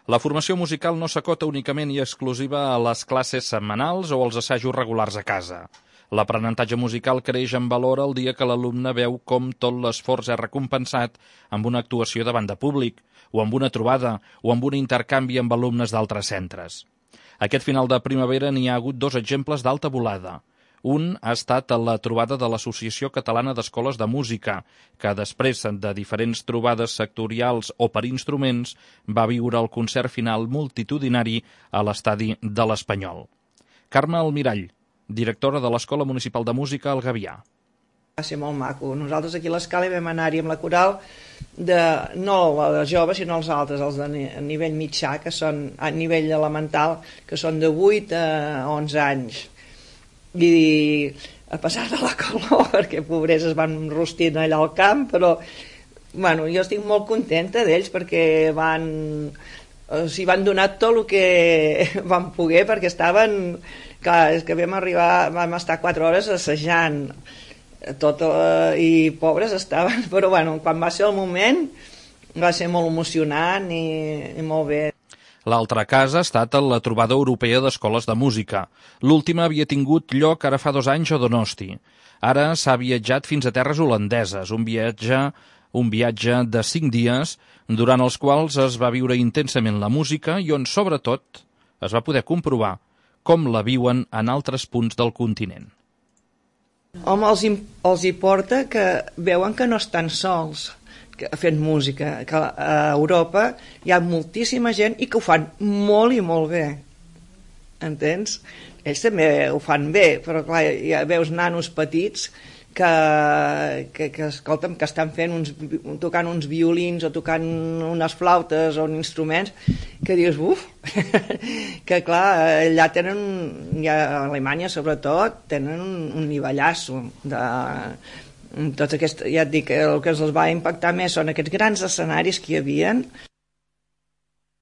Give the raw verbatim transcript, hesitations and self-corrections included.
La formació musical no s'acota únicament i exclusiva a les classes setmanals o als assajos regulars a casa. L'aprenentatge musical creix en valor el dia que l'alumne veu com tot l'esforç és recompensat amb una actuació davant de públic, o amb una trobada, o amb un intercanvi amb alumnes d'altres centres. Aquest final de primavera n'hi ha hagut dos exemples d'alta volada. Un ha estat la trobada de l'Associació Catalana d'Escoles de Música, que després de diferents trobades sectorials o per instruments va viure el concert final multitudinari a l'estadi de l'Espanyol. Carme Almirall, directora de l'Escola Municipal de Música al Gavià. Va ser molt maco. Nosaltres aquí a l'Escala vam anar-hi amb la coral, de, no els joves, sinó els altres, els de nivell mitjà, que són a nivell elemental, que són de vuit a onze anys. I a passar de la calor, perquè pobres es van rostint allà al camp, però bueno, jo estic molt contenta d'ells perquè van, o sigui, van donar tot el que van poder, perquè estaven, clar, és que vam arribar, vam estar quatre hores assajant tot, eh, i pobres estaven, però bueno, quan va ser el moment va ser molt emocionant i, i molt bé. L'altre cas ha estat la trobada europea d'escoles de música. L'última havia tingut lloc ara fa dos anys a Donosti. Ara s'ha viatjat fins a terres holandeses, un viatge, un viatge de cinc dies, durant els quals es va viure intensament la música i on, sobretot, es va poder comprovar com la viuen en altres punts del continent. Home, els, els hi porta que veuen que no estan sols fent música, que a Europa hi ha moltíssima gent i que ho fan molt i molt bé, entens? Ells també ho fan bé, però clar, ja veus nanos petits que, que, que escolta'm, que estan fent uns, tocant uns violins o tocant unes flautes o uns instruments que dius, uf, que clar, allà tenen, ja a Alemanya sobretot, tenen un, un nivellasso de... Tot aquest, ja et dic, el que els va impactar més són aquests grans escenaris que hi havia,